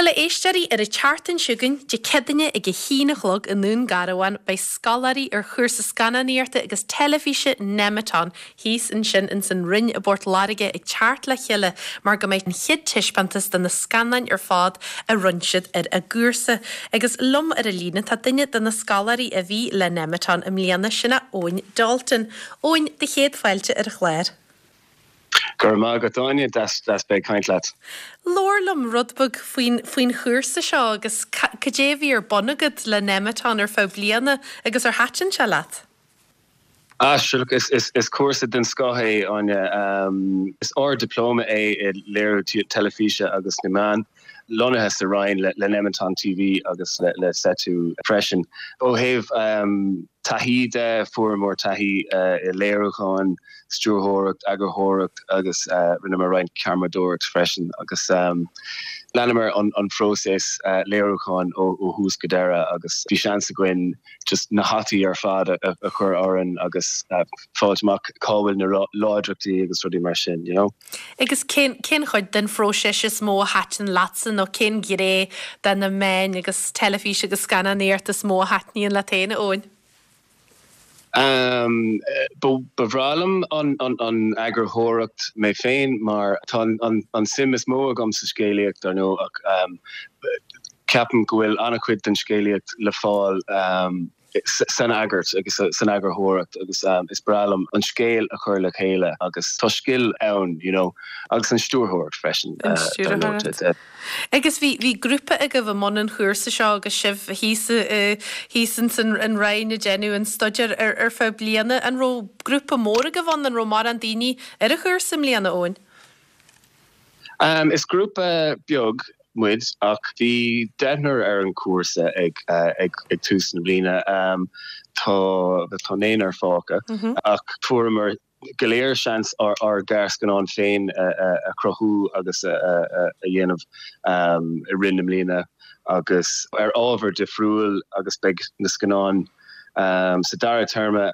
Bhuel, a éisteoirí, ar an tseachtain seo chugainn, Dé Céadaoine ag a haon a chlog i nDún Garbhán, beidh scoláirí ar chúrsa scannánaíochta agus teilifíse Nemeton thíos ansin ins an Rinn i bPort Láirge ag teacht le chéile mar go mbeidh an chéad taispeántas de na scannáin ar fad a rinne siad ar a gcúrsa. Agus liom ar an líne tá duine de na scoláirí a bhí le Nemeton i mbliana, sin é Eoin Dalton. Eoin, do chéad fáilte ar an chlár. Go raibh maith agat Áine, deas bheith ag caint leat. Labhair liom rud beag faoin faoin chúrsa seo agus cad é a bhí ar bun agat le Nemeton ar feadh bliana agus ar thaitin sé leat? Ah sure look is is is cúrsa den scoth é Áine. Is ard-dioplóma é i léiriú teilifíse agus na meán, lonnaithe sa Rinn le le Nemeton TV agus le le Seitu freisin. Ó thaobh taithí de, fuaireamar taithí i léiriúchán, stiúrthóireacht, eagarthóireacht agus rinneamar roinnt ceamaradóireacht freisin agus leanamar an phróiseas léiriúcháin ó thús go deireadh agus bhí seans againn just na hataí ar fad a chur orainn agus fáilt amach cá bhfuil na láidreachtaí agus rudaí mar sin, you know. Agus cén cén chuid den phróiseas is mó a thaitin leatsa nó cén ghné de na meáin agus teilifís agus scannánaíocht is mó a thaitníonn leat féin, a Eoin? Ba bhreá liom an eagarthóireacht mé féin mar tá an suim is mó agam sa scéalaíocht, dar ndóigh, ach ceapaim go bhfuil an-chuid den scéalaíocht le fáil san eagart agus san eagarthóireacht agus is breá liom an scéal a chur le chéile agus tá scil ann, you know, agus an stiúrthóireacht freisin, dar ndóigh. Agus bhí, bhí grúpa agaibh i mbun an chúrsa seo agus sibh thíos i, thíos ins an, an Rinn ag déanamh an staidéir ar, ar feadh bliana. An raibh grúpa mór agaibh ann? An raibh mórán daoine ar an chúrsa i mbliana, Eoin? Is grúpa beag muid ach bhí deichniúr ar an chúrsa ag, ag, ag tús na bliana. Tá, tá naonúr fágtha ach fuaireamar go léir seans ár gearrscannán féin a chruthú agus a dhéanamh i rith na mbliana agus ar ábhar difriúil agus beidh na scannáin sa dara téarma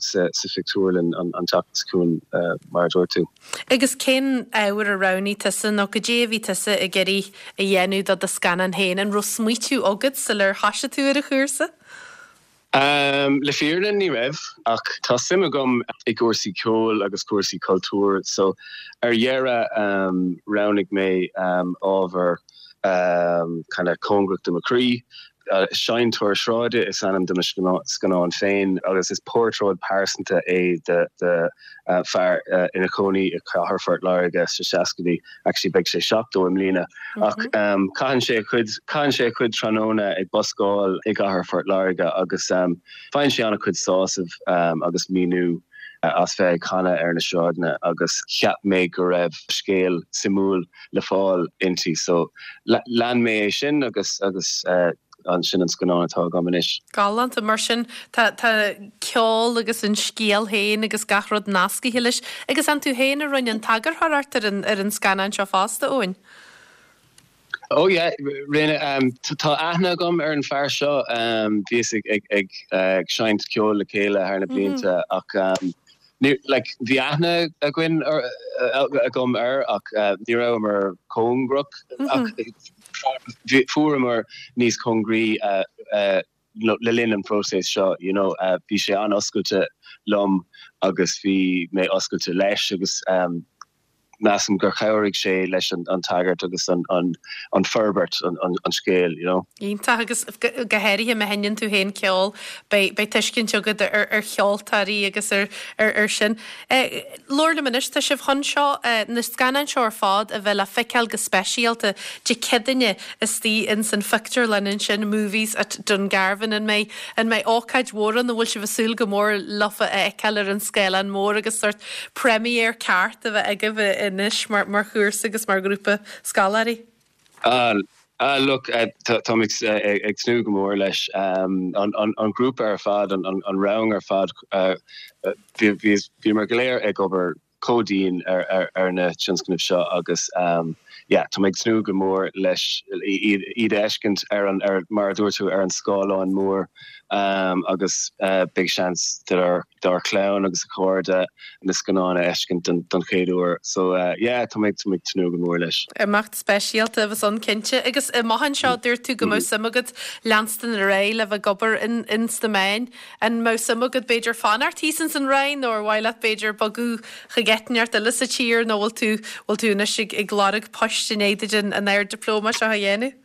sa phictiúrlann an tseachtain seo chugainn mar a dúirt tú. Agus cén ábhar a roghnaigh tusa nó cad é a bhí tusa ag iarraidh a dhéanamh do do scannán féin? An raibh smaoitiú agat sular thoisigh tú ar an chúrsa? Le fírinne ní raibh, ach tá suim agam i gcúrsaí ceoil agus cúrsaí cultúir so ar dheireadh roghnaigh mé ábhar kind of cóngarach do mo chroí. Seinnteoir Sráide is ainm do mo scannán féin agus is portráid pearsanta é de fear ina chónaí i gcathair Phort Láirge sna seascaidí, actually beidh sé 70 i mbliana, ach caitheann sé a chuid, caitheann sé a chuid tráthnóna ag buscáil i gcathair Phort Láirge agus faigheann sé an-chuid sásamh agus míniú as bheith ag canadh ar na sráideanna agus cheap mé go raibh scéal suimiúil le fáil inti so lean mé é sin agus agus sin an scannán atá agam anois. Galánta. Mar sin tá tá ceol agus an scéal féin agus gach rud nascaithe leis. Agus an tú féin a rinne an t-eagarthóireacht ar an ar an scannán seo fosta, Eoin? Oh yeah, rinne. Tá aithne agam ar an fear seo. Bhíos ag ag ag ag seinnt ceoil le chéile thar na blianta ach Ní, like, bhí aithne againn, agam air ach ní rabhamar cóngarach ach fuaireamar níos cóngaraí le linn an phróiseas seo, you know, bhí sé an-oscailte liom agus bhí mé oscailte leis agus measaim gur chabhraigh sé leis an tagairt agus an forbairt an scéil, you know. Iontach, agus go háirithe má sheinneann tú féin ceol, beidh tuiscint agat ar cheoltóirí agus ar sin. Labhair liom anois, tá sibh chun seo, na scannáin seo ar fad a bheith le feiceáil go speisialta Dé Céadaoine istigh ins an phictiúrlann ansin, Movies at Dungarvan. An mbeidh, an mbeidh ócáid mhór ann, an bhfuil sibh ag súil go mór leofa a fheiceáil ar an scáileán mór agus sórt premiere ceart a bheith agaibh anois mar chúrsa agus mar ghrúpa scoláirí? Ah, look, táimid ag tnúth go mór leis. An grúpa ar fad, an rang ar fad, bhíomar go léir ag obair chomh dian ar na tionscnaimh seo agus. yeah, tá mé ag tnúth go mór leis iad a fheiscint ar an, ar, mar a dúirt tú, ar an scáileán mór agus beidh seans dár, dár chlann agus a chairde na scannáin a fheiscint don, don chéad uair. So yeah, tá mé, tá mé ag tnúth go mór leis. Imeacht speisialta a bheas ann cinnte. Agus amach anseo, dúirt tú go mbeadh suim agat leanstan ar aghaidh le bheith ag obair in, in sna meáin. An mbeadh suim agat b'fhéidir fanacht thíos ins an Rinn nó ar mhaith leat b'fhéidir bogadh chuig áit inteacht eile sa tír nó bhfuil tú, bhfuil tú anois ag, ag lorg poist i ndiaidh duit an, an Ard-Dioplóma seo a dhéanamh?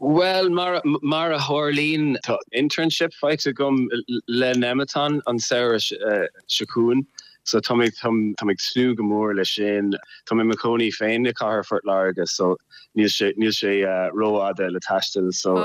Bhuel, mar, mar a tharlaíonn, tá internship faighte agam le Nemeton an samhradh seo chugainn so tá mé, tá mé ag tnúth go mór leis sin. Tá mé i mo chónaí féin i gcathair Phort Láirge so níl sé, níl sé rófhada le taisteal so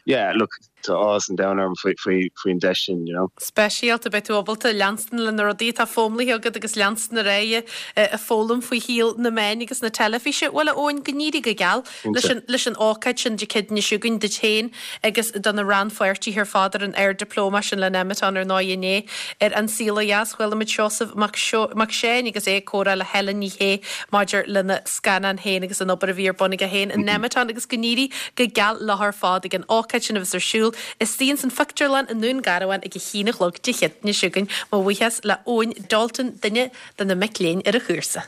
yeah, look, Tá áthas an domhain orm faoin deis sin, you know. Speisialta, beidh tú ábalta leanstan le na rudaí atá foghlamtha agat agus leanstan ar aghaidh ag foghlaim faoi shaol na meáin agus na teilifíse. Bhuel, a Eoin, go n-éirí go geal leis an leis an ócáid sin Dé Céadaoine seo chugainn duit féin agus do na rannpháirtithe ar fad ar an Ard-Dioplóma sin le Nemeton ar ndóigh inné ar An Saol Ó Dheas. Chuala muid Seosamh Mac Mac Seáin agus é ag comhrá le Helen Ní Shé maidir lena scannán féin agus an obair a bhí ar bun aige féin in Nemeton agus go n-éirí go geal leo ar fad ag an ócáid sin a bheas ar siúl istigh ins an phictiúrlann i nDún Garbhán ag a haon a chlog Dé Céadaoine seo chugainn. Mo bhuíochas le Eoin Dalton, duine de na mic léinn ar an chúrsa.